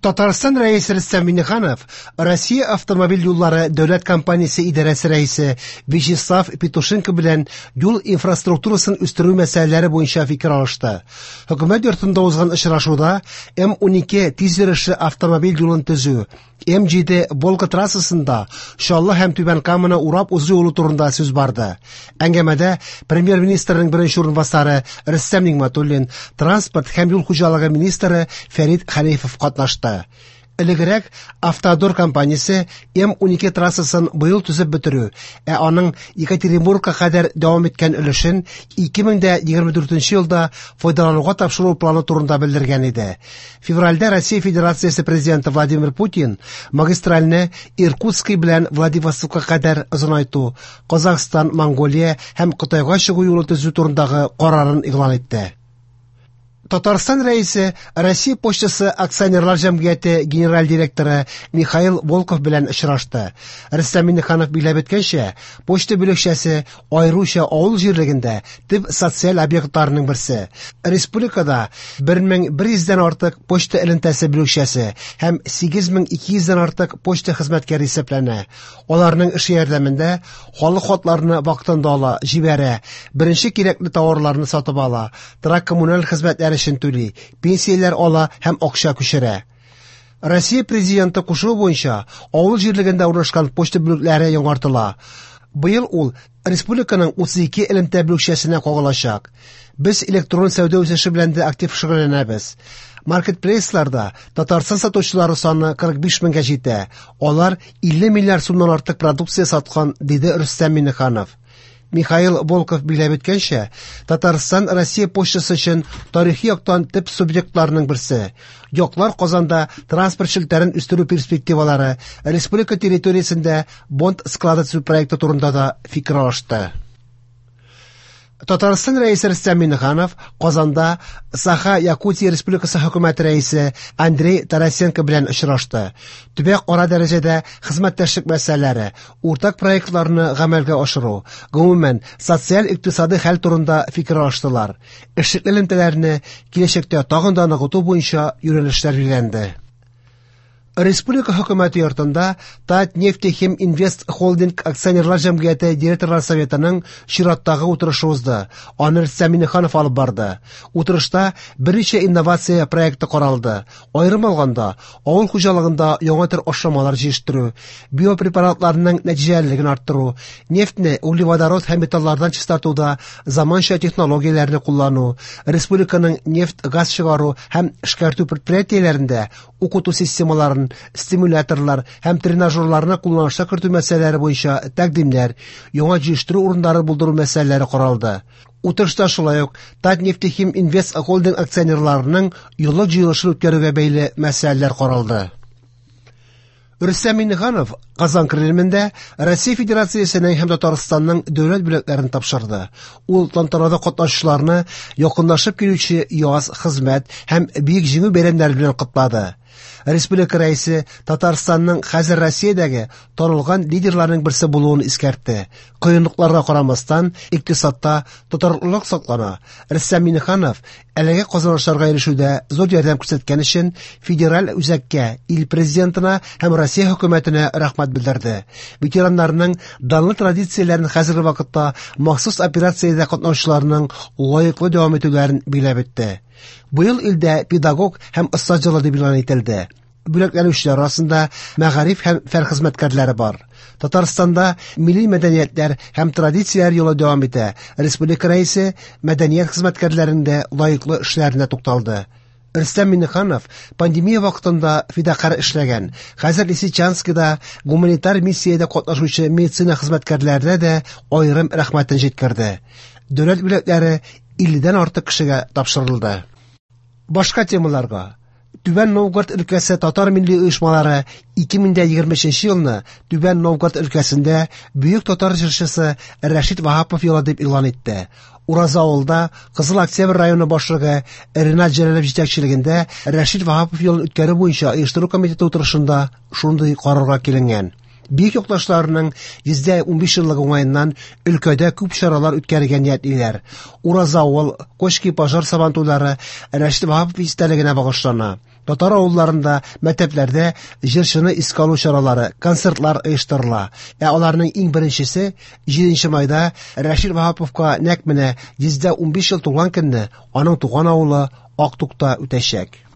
Татарстан Рәисе Рөстәм Миңнеханов Россия автомобиль юллары дәүләт компаниясе идарәсе рәисе Вячеслав Петушенко белән юл инфраструктурасын үстерү мәсьәләләре буенча фикер алышты. Хөкүмәт йортында узган очрашуда М-12 тиз йөрешле автомобиль юлын төзү, М7 Волга трассасында Чаллы һәм Түбән Каманы урап узу юлы турында сүз барды. Әңгәмәдә премьер-министрның беренче урынбасары Рөстәм Нигъмәтуллин, транспорт һәм юл хуҗалыгы министры Фәрит Хәнифов катнашты. Элегрәк Автодор компаниясе М12 трассасын быел төзеп бетерү, ә аның Екатеринбургка кадәр дәвам иткән өлешен 2024 елда файдалануга тапшыру планы турында белдергән иде. Февральдә Россия Федерациясе президенты Владимир Путин магистральне Иркутский белән Владивостокка кадәр озынайту, Казахстан, Монголия һәм Кытайга чыгу юлы төзү турындагы карарын игълан итте. Татарстан Рәисе Россия почтасы акционерлар җәмгыяте генераль директоры Михаил Волков белән очрашты. Рөстәм Миңнеханов билгеләп үткәнчә, почта бүлекчәсе аеруча авыл җирлегендә төп социаль объектларының берсе. Республикада 1100 дән артык почта элемтәсе бүлекчәсе һәм 8200 дән артык почта хезмәткәре исәпләнә. Аларның эше ярдәмендә халык хатларны вакытында ала, җибәрә, беренче кирәкле тауарларны сатып ала, торак коммуналь хезмәтләр өчен түли, пенсияләр ала һәм акча күчерә. Россия Президенты кушуы буенча авыл җирлегендә урнашкан почта бүлекләре яңартыла. Быел ул республиканың 32 элемтә бүлекчәсенә кагылачак. Без электрон сәүдә үсеше белән дә актив шөгыльләнәбез. Маркетплейсларда Татарстан сатучылары саны 45 меңгә җитә. Алар 50 миллиард сумнан артык продукция саткан, диде Рөстәм Миңнеханов. Михаил Волков билгеләп үткәнчә, Татарстан Россия почтасы өчен тарихи яктан төп субъектларның берсе. Яклар Казанда транспорт челтәрен үстерү перспективалары, республика территориясендә бонд склады төзү проекты турында да фикер алышты. Татарстан Рәисе Рөстәм Миңнеханов Казанда Саха-Якутия Республикасы хөкүмәте рәисе Андрей Тарасенко белән очрашты. Төбәк-ара дәрәҗәдә хезмәттәшлек мәсьәләләре, уртак проектларны гамәлгә ашыру, гомумән, социаль-икътисадый хәл турында фикер алыштылар. Эшлекле элемтәләрне киләчәктә тагын да ныгыту буенча юнәлешләр билгеләнде. Республика хөкүмәте йортында Татнефтехиминвест Холдинг акционерлар җәмгыяте директорлар советының чираттагы утырышы узды. Аны Рөстәм Миңнеханов алып барды. Утырышта берничә инновация проекты каралды. Аерым алганда, авыл хуҗалыгында яңа төр ашламалар җитештерү, биопрепаратларның нәтиҗәлелеген арттыру, нефтьне углеводород һәм металлардан чистартуда заманча технологияләрне куллану, республиканың нефть-газ чыгару һәм эшкәртү предприятиеләрендә укыту системаларын, стимуляторлар һәм тренажерларны кулланышка кертү мәсьәләләре буенча тәкъдимнәр, яңа җитештерү урыннары булдыру мәсьәләләре каралды. Утырышта шулай ук Татнефтехим Инвест Холдинг акционерларының еллык җыелышын үткәрүгә бәйле мәсьәләләр каралды. Рөстәм Миңнеханов Казан Кремлендә Россия Федерациясенең һәм Татарстанның дәүләт бүләкләрен тапшырды. Ул тантанада катнашучыларны якынлашып килүче яз, хезмәт һәм Бөек Җиңү бәйрәмнәре белән котлады. Республика рәисе Татарстанның хәзер Россиядәге танылган лидерларның берсе булуын искәртте. Кыенлыкларга карамастан, икътисадта тотрыклылык саклана. Рөстәм Миңнеханов әлеге казанышларга ирешүдә зур ярдәм күрсәткән өчен федераль үзәккә, ил президентына һәм Россия хөкүмәтенә рәхмәт белдерде. Ветераннарның данлы традицияләрен хәзерге вакытта махсус операциядә катнашучыларның лаеклы дәвам итүләрен билгеләп үтте. Быел илдә педагог һәм остаз елы дип игълан ителде. Бүләкләнүчеләр арасында мәгариф һәм фән хезмәткәрләре бар. Татарстанда милли мәдәниятләр һәм традицияләр юлы дәвам итә. Республика рәисе мәдәният хезмәткәрләренең дә лаеклы эшләренә тукталды. Рөстәм Миңнеханов пандемия вакытында фидакарь эшләгән, хәзер Лисичанскида гуманитар миссиядә катнашучы медицина хезмәткәрләренә дә аерым рәхмәтен җиткерде. Дәүләт бүләкләре 50дән артык кешегә тапшырылды. Башка темаларга Түбән Новгород өлкәсе татар милли оешмалары 2023 елны Түбән Новгород өлкәсендә бөек татар җырчысы Рәшит Ваһапов елы дип игълан итте. Ураза авылда Кызыл Октябрь районы башлыгы Ренат Җәләлов җитәкчелегендә Рәшит Ваһапов елын үткәрү буенча оештыру комитеты утырышында шундый карарга киленгән. Бөек якташларының 115 еллыгы уңаеннан өлкәдә күп чаралар үткәрергә ниятлиләр. Ураза авыл, Кочки пожар сабантуйлары Рәшит Ваһапов истәлегенә багышлана. Татар авылларында, мәктәпләрдә җырчыны искә алу чаралары, концертлар оештырыла. Ә аларның иң беренчесе 7 майда Рәшит Ваһаповка нәкъ менә 115 ел тулган көнне аның туган авылы Актукта үтәчәк.